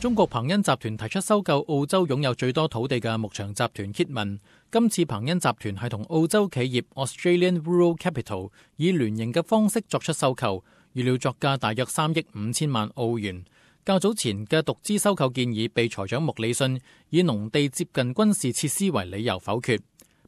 中國鵬恩集團提出收購澳洲擁有最多土地嘅牧場集團 Kidman。今次鵬恩集團係同澳洲企業 Australian Rural Capital 以聯營嘅方式作出收購，預料作價大約3億5千萬澳元。較早前嘅獨資收購建議被財長穆里遜以農地接近軍事設施為理由否決。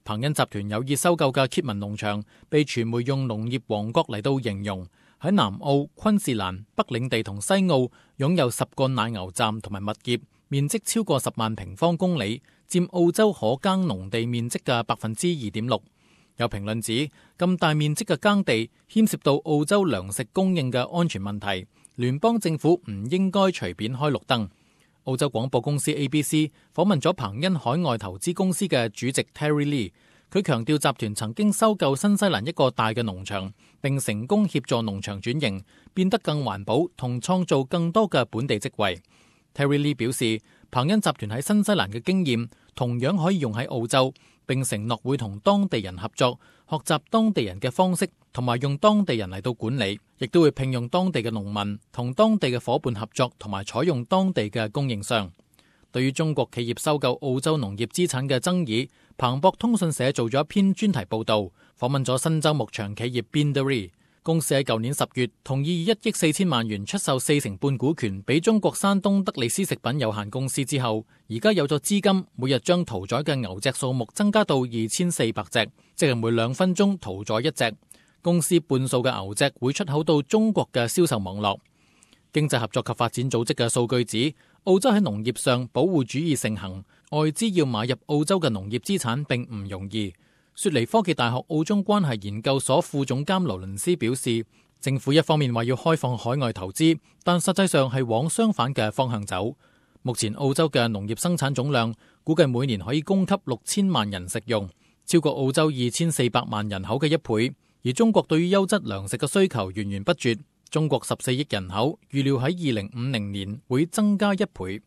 鵬恩集團有意收購嘅 Kidman 農場被傳媒用農業王國嚟到形容。喺南澳、昆士蘭、北領地同西澳擁有10個奶牛站同埋物業，面積超過10萬平方公里，佔澳洲可耕農地面積嘅2.6%。有評論指，咁大面積嘅耕地牽涉到澳洲糧食供應嘅安全問題，聯邦政府唔應該隨便開綠燈。澳洲廣播公司 ABC 訪問咗鵬恩海外投資公司嘅主席 Terry Lee。佢強調集團曾經收購新西蘭一個大嘅農場，並成功協助農場轉型，變得更環保同創造更多嘅本地職位。Terry Lee 表示，鵬恩集團喺新西蘭嘅經驗同樣可以用喺澳洲，並承諾會同當地人合作，學習當地人嘅方式，同埋用當地人嚟到管理，亦都會聘用當地嘅農民，同當地嘅夥伴合作，同埋採用當地嘅供應商。對於中國企業收購澳洲農業資產嘅爭議，彭博通訊社做咗一篇專題報道，訪問咗新州牧場企業 Binderee 公司喺舊年10月同意以1億4千萬元出售4成半股權俾中國山東德利斯食品有限公司之後，而家有咗資金，每日將屠宰嘅牛隻數目增加到2400隻，即係每2分鐘屠宰1隻。公司半數嘅牛隻會出口到中國嘅銷售網絡。經濟合作及發展組織嘅數據指，澳洲喺農業上保護主義盛行，外資要買入澳洲嘅農業資產並唔容易。雪梨科技大學澳中關係研究所副總監勞倫斯表示，政府一方面話要開放海外投資，但實際上係往相反嘅方向走。目前澳洲嘅農業生產總量估計每年可以供給6000萬人食用，超過澳洲2400萬人口嘅1倍。而中國對於優質糧食嘅需求源源不絕。中國14億人口預料喺2050年會增加1倍。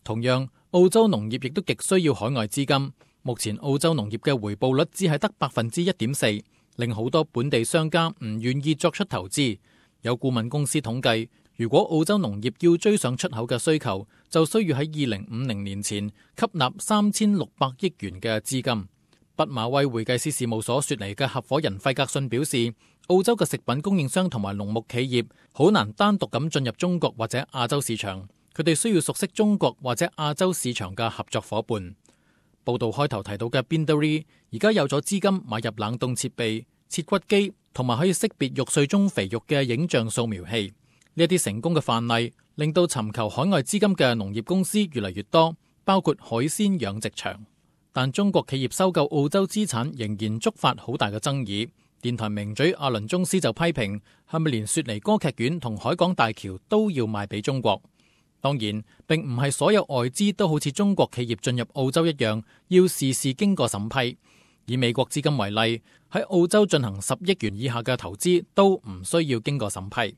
同樣，澳洲農業亦都極需要海外資金。目前澳洲農業嘅回報率只係得1.4%，令好多本地商家唔願意作出投資。有顧問公司統計，如果澳洲農業要追上出口嘅需求，就需要喺2050年前吸納3600億元嘅資金。畢馬威會計師事務所雪梨嘅合夥人費格遜表示，澳洲嘅食品供應商同埋農牧企業好難單獨咁進入中國或者亞洲市場，佢哋需要熟悉中國或者亞洲市場嘅合作夥伴。報道開頭提到嘅 Binderee 而家有咗資金買入冷凍設備、切骨機同埋可以識別肉碎中肥肉嘅影像掃描器。呢一啲成功嘅範例令到尋求海外資金嘅農業公司越嚟越多，包括海鮮養殖場。但中國企業收購澳洲資產仍然觸發好大嘅爭議。電台名嘴阿倫宗斯就批評，係咪連雪梨歌劇院同海港大橋都要賣俾中國？當然，並唔係所有外資都好似中國企業進入澳洲一樣，要事事經過審批。以美國資金為例，喺澳洲進行10億元以下嘅投資都唔需要經過審批。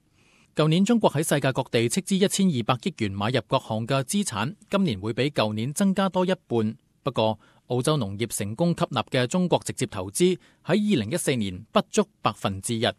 舊年中國喺世界各地斥資1200億元買入各項嘅資產，今年會比舊年增加多1半。不過，澳洲農業成功吸納嘅中國直接投資喺2014年不足1%。